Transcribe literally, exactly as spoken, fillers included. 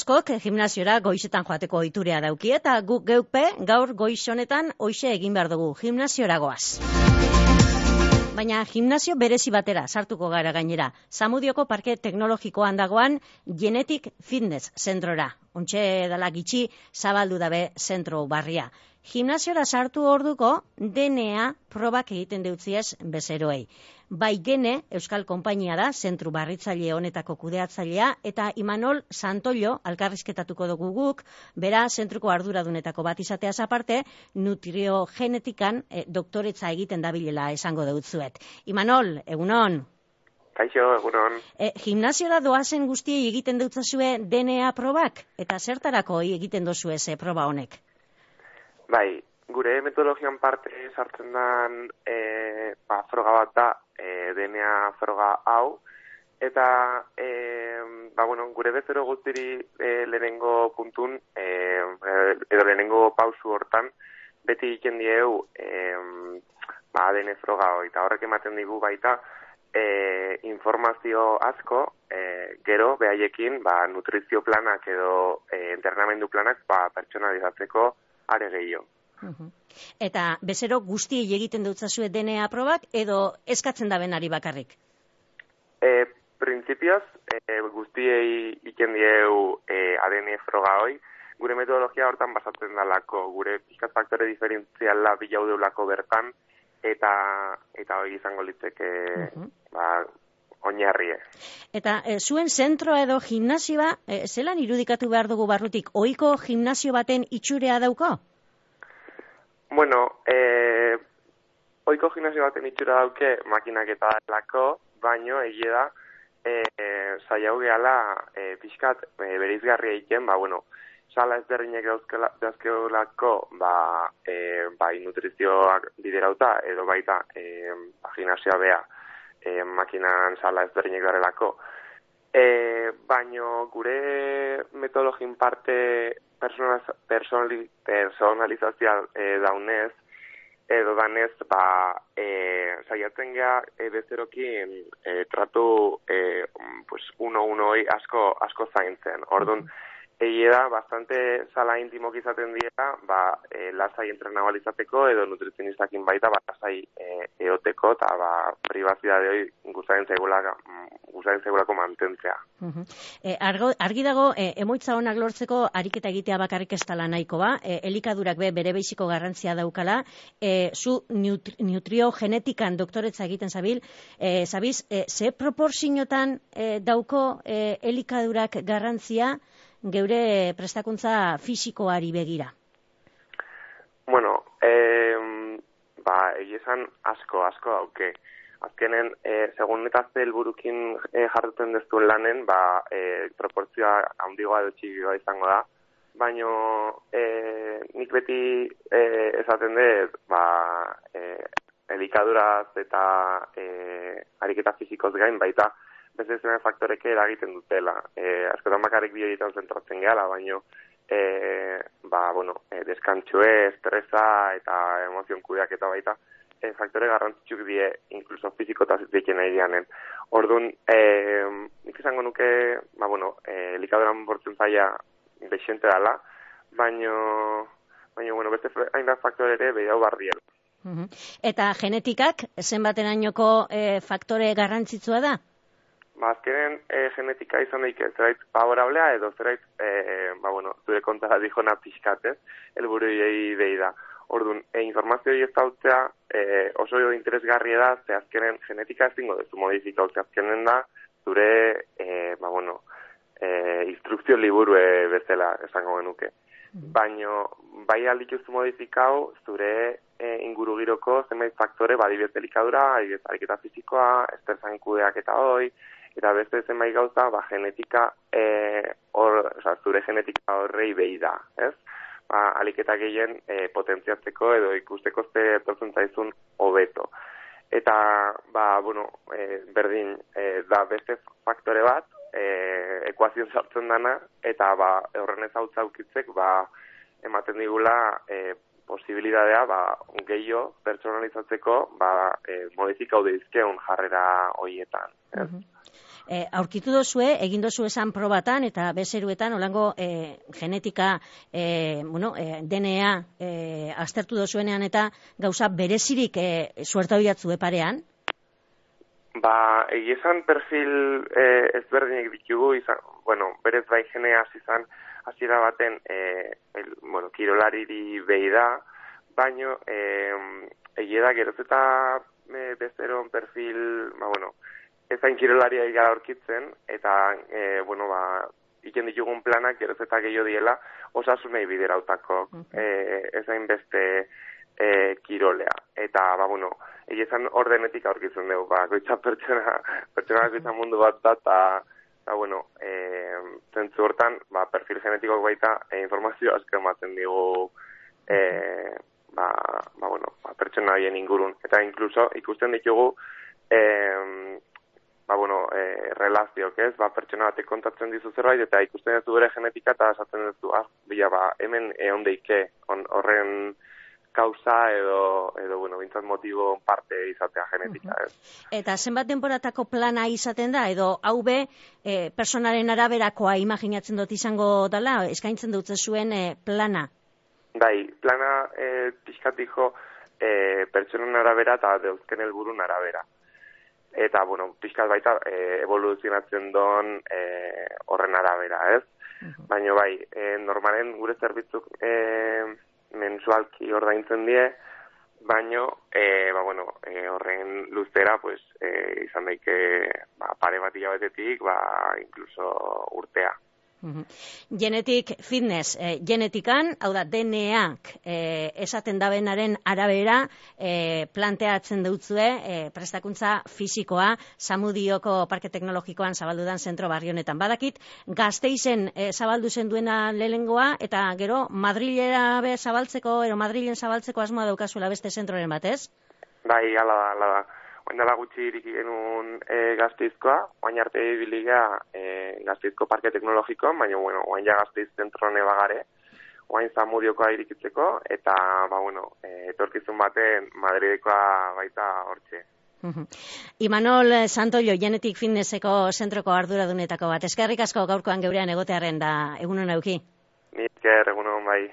askok gimnasiora goizetan joateko ohiturea dauki eta guk geukpe gaur goiz honetan hoixe egin behar dugu, gimnasiora goaz. Baina gimnasio berezi batera sartuko gara gainera. Zamudioko Parke Teknologikoan dagoan Genetic Fitness zentrora. Ontxe dala gitxi zabaldu dabe zentro barria. Gimnasiora sartu orduko D N A probak egiten deutziez bezeroei. Bai Gene, Euskal Konpainia da, zentru barritzaile honetako kudeatzailea, eta Imanol Santollo, alkarrizketatuko dugu guk, bera zentruko arduradunetako bat izateaz aparte, nutriogenetikan e, doktoretza egiten dabilela esango deutzuet. Imanol, egunon? Kaixo, egunon. E, gimnasiora doazen guztiei egiten deutzazue D N A probak, eta zertarako egiten dozue ze proba honek? Bai, gure metodologian parte sartzen den e, ba, froga bat da, e, D N A froga hau, eta e, ba, bueno, gure bezero guztiri e, lehenengo puntun, e, edo lehenengo pausu hortan, beti egiten dieu e, ba, D N A froga hoi, eta horrek ematen digu baita e, informazio asko, e, gero behaiekin ba, nutrizio planak edo e, entrenamendu planak ba, pertsonalizatzeko are gehiago. Uh-huh. Eta bezero guztiei egiten dutzazue D N A probak edo eskatzen da benari bakarrik? E, Printzipioz, e, guztiei iken dieu e, A D N froga hoi, gure metodologia hortan basatzen dalako, gure pixkat faktore diferentziala bilau deulako bertan, eta eta hori izango litzeke uh-huh. ba, oinarrie. Eta e, zuen zentro edo gimnasioa, e, zelan irudikatu behar dugu barrutik, ohiko gimnasio baten itxurea dauko? Bueno, eh, ohiko gimnasio baten itxura dauke makinak eta delako, baino egia da, eh, saiau gehala eh, pixkat eh, bereizgarria egiten, ba, bueno, sala ezberdinek dauzkeolako, ba, eh, bai nutrizioak biderauta, edo baita eh, gimnasioa bea, E, makinan sala ezberdinek darelako. E, baino gure metodologin parte personali, personalizazioa e, daunez, edo danez, ba, e, saiatzen geha e, bezerokin e, tratu e, pues, uno-unoi asko, asko zaintzen. Orduan, egia da, bastante sala intimok izaten dira, ba, e, lasai entrenabal izateko, edo nutrizionistakin baita, ba, lasai e, eoteko, eta ba, privazidade hori guztaren segulako mantentzea. Uh-huh. E, argo, argi dago, e, emoitza honak lortzeko ariketa egitea bakarrik ez dela nahiko ba, e, elikadurak be bere beiziko garrantzia daukala, e, zu nutri, nutriogenetikan doktoretza egiten zabil, e, zabiz, e, ze proporziotan e, dauko e, elikadurak garrantzia, geure prestakuntza fisikoari begira? Bueno, eh, ba, egizan asko, asko dauke. Azkenen, eh, segun eta helburukin eh, jartuten deztuen lanen, ba, eh, proportzioa handigoa edo txikikoa izango da. Baina eh, nik beti eh, esaten dut, ba, eh, elikaduraz eta eh, ariketa fisikoz gain baita, beste zuen faktoreke eragiten dutela. E, askotan bakarrik bioietan zentratzen gehala, baino e, ba, bueno, e, deskantxue, estresa eta emozion kudeak eta baita e, faktore garrantzitsuk die, inkluso fiziko eta zitzen nahi dianen. Orduan, e, nik izango nuke, ba, bueno, e, likaduran bortzen zaila bexente dela, baino, baino, bueno, beste hainbat faktore ere behiau barriela. Uh-huh. Eta genetikak, zenbaterainoko e, faktore garrantzitsua da? Ba, azkenen e, genetika izan daik zerait favorablea edo zerait, e, ba, bueno, zure kontara dijona pixkatez, elburu egei behi da. Orduan, e, informazio hori ez dautzea e, oso interesgarria da, ze azkenen genetika ezingo dezu modifika, ze azkenen da, zure, e, ba, bueno, e, instrukzio liburu e, bezala esango genuke. Baina, bai aldituzu modifikau, zure e, inguru giroko zenbait faktore, badibet delikadura, ariketa fizikoa, esterzain kudeak eta hoi, eta beste zenbait gauza, ba, genetika, e, or, oza, zure genetika horrei behi da, ez? Ba, aliketa gehien e, potentziatzeko edo ikusteko ze etortzen zaizun hobeto. Eta, ba, bueno, e, berdin, e, da beste faktore bat, e, ekuazioan sartzen dana, eta, ba, horren ez hau zaukitzek, ba, ematen digula, e, posibilidadea, ba, gehiago pertsonalizatzeko, ba, e, modifikau deizkeun jarrera horietan, ez? Uh-huh. E, aurkitu dozue, egin dozu esan probatan eta bezeruetan olango e, genetika, e, bueno, e, D N A e, aztertu dozuenean eta gauza berezirik e, suerta hoiatzue parean? Ba, egia esan perfil eh, ezberdinek ditugu, izan, bueno, berez bai geneaz izan, hasiera baten, eh, el, bueno, kirolariri behi da, baino, eh, egia da, geroz eta eh, bezeron perfil, ba, bueno, ezain kirolaria gara aurkitzen, eta, eh, bueno, ba, iken ditugun planak geroz eta gehiago diela, osasunei biderautako, eh, ezain beste eh, kirolea. Eta, ba, bueno, egizan ordenetik aurkitzen dugu, ba, goitza pertsona, pertsona goitza mundu bat da, eta, eta, bueno, e, zentzu hortan, ba, perfil genetikok baita, e, informazio asko ematen digu, e, ba, ba, bueno, ba, pertsona horien ingurun. Eta, inkluso, ikusten ditugu, e, ba, bueno, e, relazioak ez, ba, pertsona batek kontatzen dizu zerbait, eta ikusten duzu bere genetika, eta esaten duzu, ah, bila, ba, hemen egon deike, horren, kauza edo, edo bueno, bintzat motibo parte izatea genetika, ez. Eta zenbat denboratako plana izaten da, edo hau be, e, personaren araberakoa imaginatzen dut izango dela, eskaintzen dut zuen e, plana? Bai, plana e, pixkatiko e, pertsonen arabera eta deuzken helburun arabera. Eta, bueno, pixkat baita e, evoluzionatzen don e, horren arabera, ez? Uh-huh. Baina bai, e, normalen gure zerbitzuk e, mensualki ordaintzen die, baino, e, ba, bueno, e, horren luzera, pues, e, izan daike, ba, pare bat hilabetetik, ba, incluso urtea. Uh-huh. Genetic fitness, eh, genetikan, hau da, D N A-k eh, esaten dabenaren arabera eh, planteatzen dutzue eh, prestakuntza fisikoa Zamudioko Parke Teknologikoan zabaldudan zentro barri honetan. Badakit, Gasteizen eh, zabaldu zen duena lehengoa, eta gero Madrilera be zabaltzeko, ero Madrilen zabaltzeko asmoa daukazuela beste zentroren batez? Bai, ala da, ala da. Oain dela gutxi iriki genuen e, Gasteizkoa, oain arte biliga e, Gasteizko Parke Teknologikoan, baina, bueno, oain ja Gasteiz zentrone bagare, oain Zamudiokoa irikitzeko, eta, ba, bueno, e, etorkizun baten Madridekoa baita hortxe. Uh-huh. Imanol Santollo, Genetic Fitnesseko zentroko arduradunetako bat. Eskerrik asko gaurkoan geurean egotearen da egunon euki. Ni esker egunon bai.